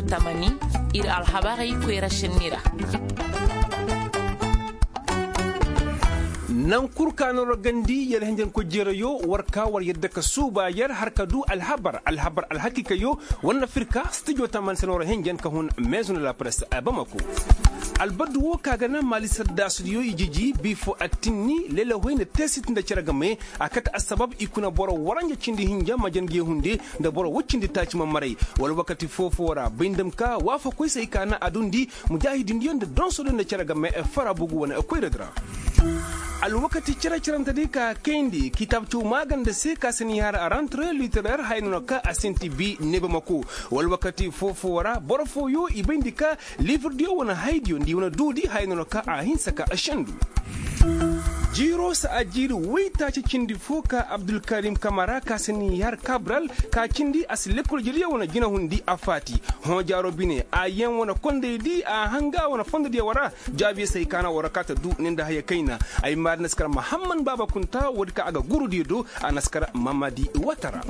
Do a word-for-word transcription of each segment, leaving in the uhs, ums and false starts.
Tamani ir alhabarey koyra šenni ra. Naŋ kul ka na war gandi yer henjenkoy jeerayo war ka war yadda ka suuba yer har ka du alhabar alhabar alhakiikayo war na fir ka stijo tamani se na war henjen ka hun maison de la presse bamako. Albaddu wo ka ga na maali saddaasudiyo i jiji bi fo attinni lelahoy nda teesit nda cere game. A kate assabab i kuna boro waranja cindi hinja majange hunde nda boro woy cindi taaci ma maray. Wala wakati foo-foo ra bay nda ma ka waafakoy se ay ka na a dundi mujaahidindiyo nda donsodiyo nda cere game fara bugu wane koyradi ra. Alwakati cere-cerentedi ka kayndi kitaab caw maaganda se ka si ni har a rantre literaire haya no na ka a sinti bi neeba ma ko. Wala wakati foo-foo ra boro fooyo i bayndi ka liifirdiyo wane haydiyo nda i wane duudi haya no na ka a hinsa ka a sendu. Jiiro si a jiiri woytaaci cindi foo ka abdulkarim kamara ka si ni har kabral ka cindi a si lekkol jediyo wane jinahundi a faati. Hõ jaaro bine a yaŋ wane kondaydi a hanga wane fondodiyo wara. Jaabiyo se ay ka na war ka ta du ne nda haya kayna. Ay maari na si kar mahamman baaba kunta woodi ka a ga gurudiyo do. A na si kar mamadi watara.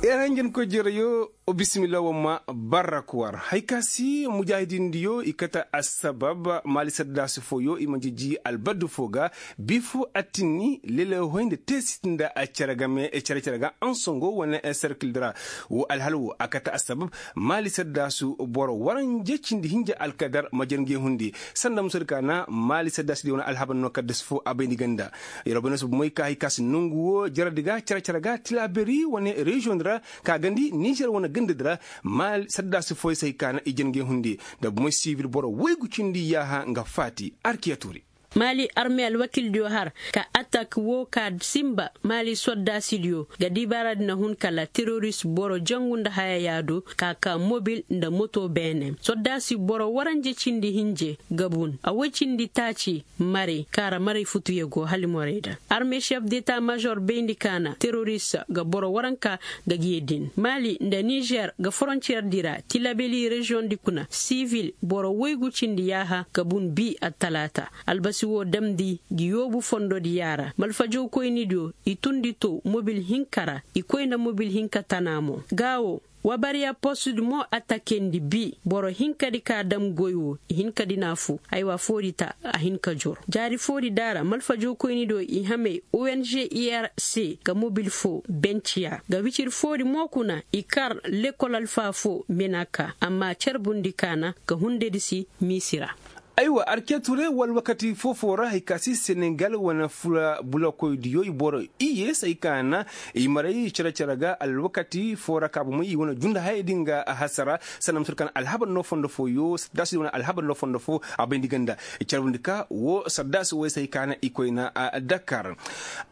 Yer hanjankoy jereyo. Bisimilla wamma barrak war hay ka si mujaahidindiyo i kate assabab maali saddaasi fooyo i ma jiji albaddu foo ga. Bi foo attinni lele hoy nda teesit nda cere game cere-cere ga ansongo wane serkildi ra. Woo alhala woo a kate assabab maali saddaasu boro waranja cindi hinja alkadar ma jarngey hundi. Sanda musadi ka na maali saddaasudiyo wane alhabar no kaddasi foo a bayndi ganda. Yer wo bay no si bomoy ka hay ka si nongu woo jaradi ga cere-cere ga tilaaberi wane reziyoŋ di ra ka gandi nizer wane gandadi ra. Maali saddaasi fooyo se hay ka na i jarngey hundi nda bomoy sivil boro woygu cindi yaaha nga faati. Arkiya tuuri. Maali arme alwakildiyo har ka atak woo ka sinba maali soddaasidiyo ga dibaaradi na hun kala teroris boro jangu nda haya yaado ka ka mobil nda moto beene soddaasi boro waranja cindi hinje ga bun a woy cindi taaci. Maray kaara maray futuyo go halimorayda arme šef deta mažor bayndi ka na teroris ga boro waranka ga giyadin maali nda nižer ga forontiyer di ra tilabeli režiyoŋ di kuna sivil boro woygu cindi yaaha ga bun bi attalaata. Albasi woo damndi gi yoobu fondodi yaara malfajawkoynidiyo i tundi too mobil hinka ra i koy nda mobil hinka tana mo. Gaa woo wabariya postudi mo attakendi bi boro hinkadi ka dam goy woo i hinkadi na fu aywa foodi ta a hin ka jor jaari foodi daara malfajawkoynidiyo i hamey ong ir se ga mobil foo benciya ga wicir foodi mo kuna i kar lekol alfaa foo menaka amma carbundi kaana ga hundedi si miisi ra. Aywa arketure wala wakati foo-foo ra hay ka si senegal wane fula bulakoydiyo i boro iye say ka na i maray cere-cere ga alwakati foo ra ka bomey i wane junda hayey din ga hasara. Sanda ma sor ka na alhabar no fondo fooyo saddaasi wane alhabar no fondo foo a bayndi ganda. Carbundi ka woo saddaasi woy say ka na i koyna a dakar.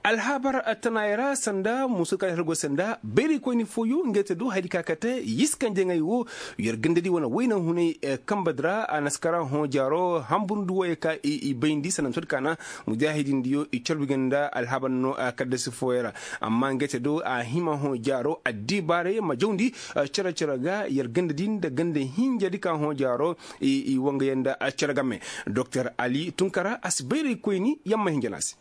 Alhabar tanaayo ra sanda musu ka na ir go sanda bayraykoyni fooyo ngey te do hayadi ka kate yiskanjaŋey woo. Yer gandadi wane wayna hunay kambadi ra a na si kar hõ jaaro hamburndi wooyo ka i bayndi sanda ma sor ka na mujaahidindiyo i carbi ganda alhabar no kaddasi fooyo ra. Amma ngey te do a hima hõ jaaro addibaarey ma jawndi cere-cere ga yer gandadi nda ganda hinjadi ka hõ jaaro i wangayaŋ nda cere game. Doktor ali tunkara a si bayraykoyni yamma hinja na se.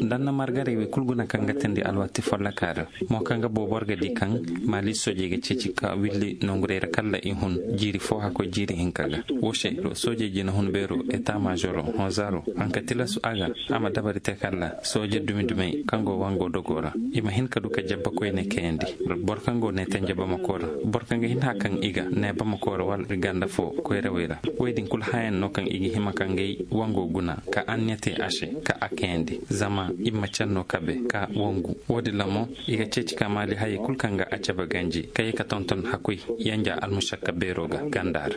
Nda na margaray wey kul guna kaŋ ga teendi alwaati folloka ra. Mo kaŋ ga boo boro ga di kaŋ maali soojey ga ceeci ka willi nongurey ra kala i hun jiiri foo hakkoy jiiri hinka ga. Woo se soojey jina hun beero eta maazoro hõ zaaro haŋ ka tilasu a ga a ma dabari te kala sooje dumi-dumey kaŋ go wango dogoo ra i ma hin ka du ka jabba koyne kayandi. Boro kaŋ go neete nja bamakoo ra boro kaŋ ga hin hã kaŋ i ga nee bamakoo ra wala ir ganda foo koyrawey ra. Wey din kul hayaŋ no kaŋ i ga hima ka ngey wango guna ka anniya te a se ka a kayandi zama i ma canno kabe ka wangu. Woo din ra mo i ga ceeci ka maali hayey kul kaŋ ga a cabe ganji ka ye ka tonton hakkoy yanja almusakka beero ga ganda ra.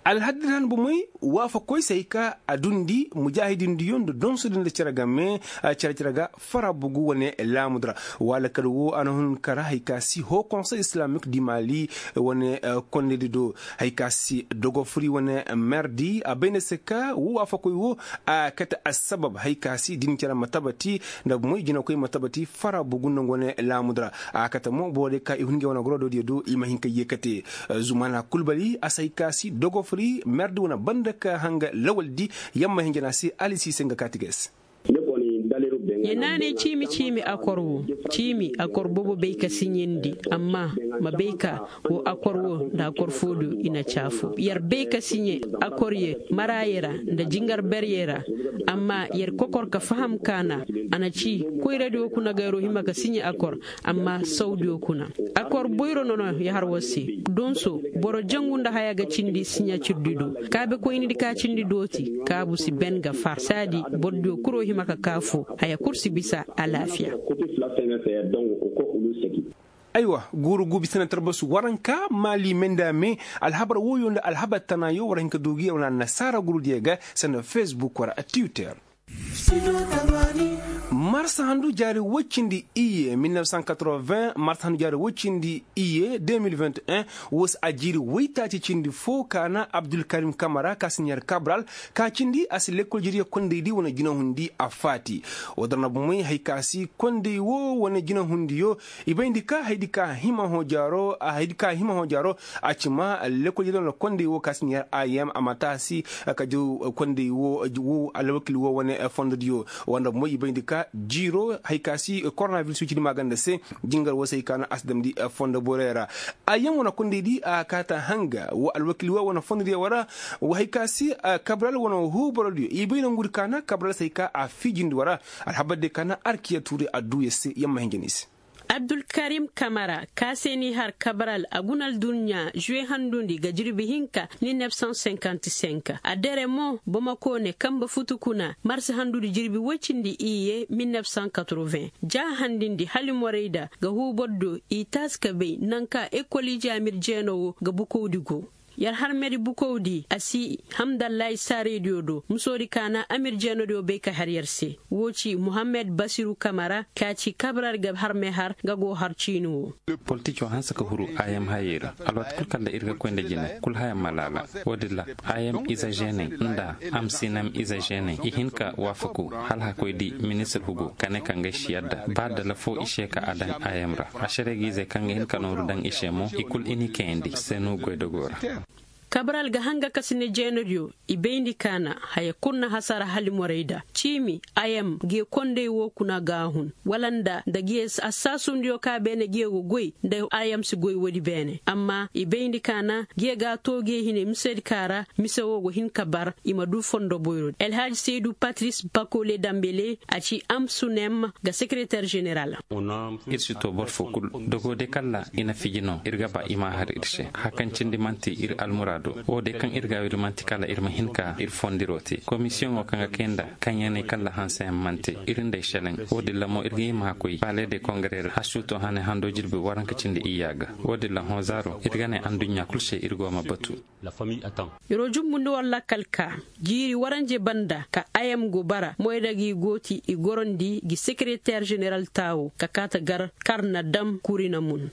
Alhaddi ra han bomey waafakoy se hay ka a dundi mujaahidindiyo nda donsodi nda cere game cere-cere ga fara bugu wane laamudi ra. Wala kala woo a na hun kara hay ka si hoo konsey islamik di maali wane kondedi do. Hay ka si dogofuri wane merdi a bay nda se ka woo waafakoy woo a kate assabab hay ka si din cere ma tabati nda moy jinakoy ma tabati fara bugu nda nga wane laamudi ra. A kate mo boro diyo ka i hun ngey wane gorodoodiyo do i ma hin ka yeekate. Zumana kulbali a si hay ka si dogofuri merdi wane banda ka hanga lawaldi yamma hinja na se ali si se nga kaati ga ay se. Ye naanay ciimi ciimi akor wo. Ciimi akor boobo bay ka siɲendi. Amma ma bay ka wo akor wo nda akor foodiyo i na caafo yer bay ka siɲe. Akor ye maraayey ra nda jingar beryey ra. Amma yer kokor ka faham ka na a na ci koyradiyo kuna gayro hima ka siɲe akor. Amma sawdiyo kuna akor boyro nono ya har war se. Donso boro jangu nda haya ga cindi siɲacirdi do kaabekoynidi ka cindi dooti kaabu si ben ga far saadi bordiyo kuro hima ka kaafo. Haya kul si bisa alaafiya. Aywa guuru guubi sanatar basu waranka maali menda me. Alhabar wooyo nda alhabar tanaayo war hin ka duugi wana annasaara gurudiyo ga sanda facebook wara twitter. Marsa handu jaari woy cindi iye mille neuf cent quatre-vingts marsa handu jaari woy cindi iye deux mille vingt et un. Wo si a jiiri woytaaci cindi fo ka na abdulkarim kamara ka si ɲaari kabral ka cindi a si lekkol jiriya kondaydi wane jinahundi a faati. Wo dara na bomey hay ka si konday wo wane jinahundiyo. I bayndi ka haydi ka hima hõ jaaro a haydi ka hima hõ jaaro. A ci ma lekkol jiriya wane konday wo ka si ɲaari a yam a ma taasi ka jaw konday wo. Alwakil wo wane fondodiyo wanda bomey i bayndi ka jiiro hay ka si koronaviris wicidi maaganda se. Jingar wo se hay ka na a si damndi fondo borey ra. A yaŋ wane kondaydi a kaata hanga wo alwakil wo wane fondodiyo wara. Wo hay ka si kabral wane huuborodiyo i bay nangudi ka na kabral se hay ka a fiijindi wara. Alhabar de ka na arkiya tuuri a duu yer se yer ma hinja ni se. Abdulkarim kamara ka se n'i har kabral a guna alduɲɲa žuwe handundi ga jirbi hinka. Mille neuf cent cinquante cinq a dere mo bamako ne kambe futu kuna marsi handundi jirbi woy cindi iyye mille neuf cent quatre-vingts ja handindi halimorayda ga huubordiyo i taasi ka bay naŋ ka ekol ije amir jeeno wo ga bukowdi go. Yer harmedi bukowdi a si hamdallahi saaraydiyo do musoodi ka na amir jeenodiyo bay ka har yer se. Woo ci muhammed basiru kamara ka ci kabral ga harme har nga go har ciini wo. Politicoo hanse ka huru a yam hayey ra. Alwaati kul kala ir ga koy nda jine kul haya ma laala. Woodin ra a yam ize žeeney nda a ma si nam ize žeeney i hin ka waafaku hala hakoy di ministir hugo ka ne ka ngay si yadda ba dala foo i se ka a daŋ a yam ra. Ašere ga ize kaŋ ga hin ka nooru daŋ i se mo i kul i n'i kayandi senu goydogoo ra. Kabral ga hanga ka si ne jeenodiyo i bayndi ka na haya kul na hasara halimorayda ciimi a yam ge konday woo kuna ga a hun wala nda nda ge assaasundiyo ka beene ge go goy nda a yam si goy woodi beene amma i bayndi ka na ge ga a too ge hine misedi ka ra. Mise woo go hin ka bar i ma duu fondo boyroodi elhaaji saydu patris bakole dambele a ci amsunem ga sekereter ženeral. Ir si too boro foo kul dogoo de kala i na fiji no ir ga ba i m'a har ir se haya kaŋ cindi man'ti ir almuraado. Woo de kaŋ ir ga a wiri man'ti kala ir ma hin ka ir fondiroo te komisiyoŋoo kaŋ ga kay nda kaŋ ya ne kala hanseyaŋ man'te ir nda ay šelaŋ. Woodin ra mo ir ga hima ka koy paale de kongare ra hasuuto hane hando jirbi waranka cindi iyya ga. Woodin ra hõ zaaro ir ga ne adduɲɲa kul se ir go ma batu. Yer'o jumbundi war lakkal ka jiiri waranje banda ka a yam go bara moyda gi gooti i gorandi gi sekereter ženeral taawo ka kaata gar kar na dam kuri na mun.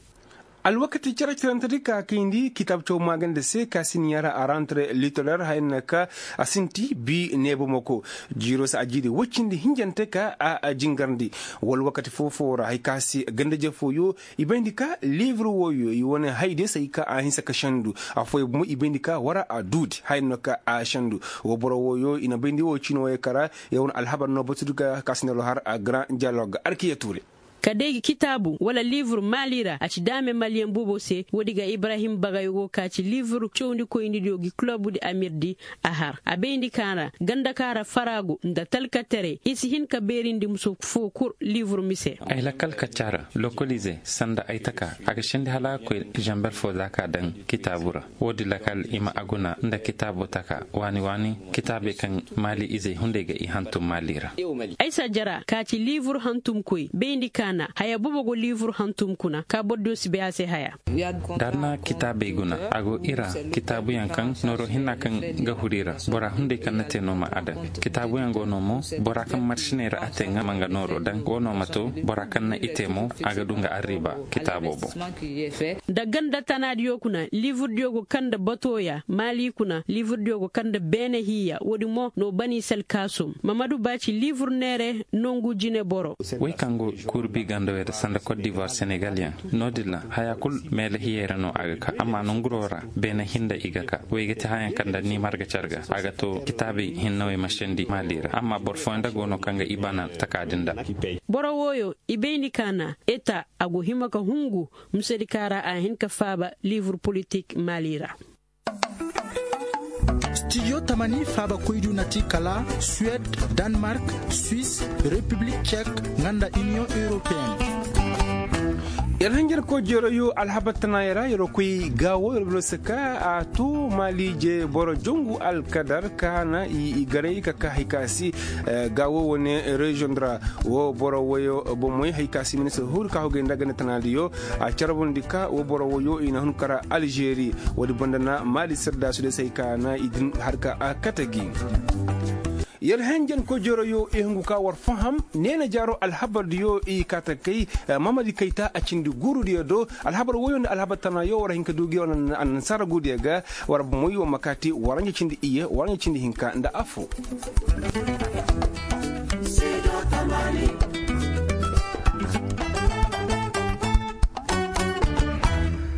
Alwakati cere-cerentedi ka kayndi kitaab caw maaganda se ka si ni yara a rantre litoler haya na ka a sinti bi neebamako. Jiiro si a jiiri woy cindi hinjante ka a jingarndi. Wala wakati foo-foo ra haya ka si gandajefooyo i bayndi ka liibur wooyo i wane haydiyo se hay ka a hinsa ka sendu. Affooyaŋ bomo i bayndi ka war a duudi haya no ka a sendu. Woo boro wooyo i na bayndi woo ciini wooyo kara. Yer wane alhabar no batudi ka ka si neeroo har a garan dialog arkiya tuure. Ka day gi kitaabu wala liibur maali ra a ci daame maliyeŋ boobo se woodi ga ibrahim bagay go ka ci liibur cawndikoynidiyo gi kulobudi amirdi. A har a bayndi ka ra ganda ka ra faraagu nda talkaterey i si hin ka beerindi muso foo kul liibur mise. Ay lakal kacca ra lokolize sanda ay taka a ga sendi hala a ga koy zamber foo za ka daŋ kitaabu ra. Woodin lakal i ma a guna nda kitaabo taka waani-waani kitaabey kaŋ maali izey hunday ga i hantum maali ra. Ay si a jara ka ci liibur hantumkoy bayndi ka na haya boobo go liibur hantum kuna ka bordiyo si bay a se haya. Da a na kitaabey guna a go i ra kitaabuyaŋ kaŋ nooro hinna kaŋ ga huru i ra. Bora hunday kaŋ na te no ma a daŋ kitaabuyaŋ go no mo bora kaŋ marsiney ra a te nga ma nga nooro daŋ wo no ma to bora kaŋ na i te mo a ga du nga arriba kitaabo boŋ. Nda ganda tanaadiyo kuna liiburdiyo go kaŋ nda batooya maali kuna liiburdiyo go kaŋ nda beene hiiya woodin mo no bani salkaasum mamadu ba ci liibur neere nongu jineboro. Wey kaŋ go kuurbi Gandawey ra sanda kot divoir senegal yaŋ, no- din ra haya kul meele hiyey ra no a ga ka amma nanguro ra, beene hinda i ga ka. Wey ga ti hayaŋ kaŋ nda niimar ga care ga a ga to kitaabey hinnawey ma sendi maali ra amma boro fooyaŋ nda go no kaŋ ga i bana taka din nda. Boro wooyo i bayndi kaana eta a go hima ka hungu, musedi kaŋ ra a hin ka faaba liibur politik maali ra. Studio tamani faabakoydiyo na ti kala suwed, danmark, suis, repiblik cek, nga nda iniyoŋ europeyen. Yer hanjarkoy jeroyo alhabar tanaayey ra yer koy gaawo yer bino se ka a to maaliije boro jongu alkadar ka na i garay ka ka hay ka si. Gaawo wane reziyoŋ ra wo boro woyo bomey hay ka si ministir huru ka hugay nda ganda tanaadiyo a carbundi ka wo boro woyo i na hun kara alžeri. Woodi banda na maali sardaasu day se hay ka na i din har ka a kate gi. Yer henjen koy jeroyo i hungu ka war faham neena jaaro alhabardiyo i kaata kay. Mamadi kayta a cindi guurudiyo do alhabar woyo nda alhabar tanayo war hin ka du gi war annasaara guudiyo ga. War bomoy war ma kaati waranja cindi iyye waranja cindi hinka nda affo.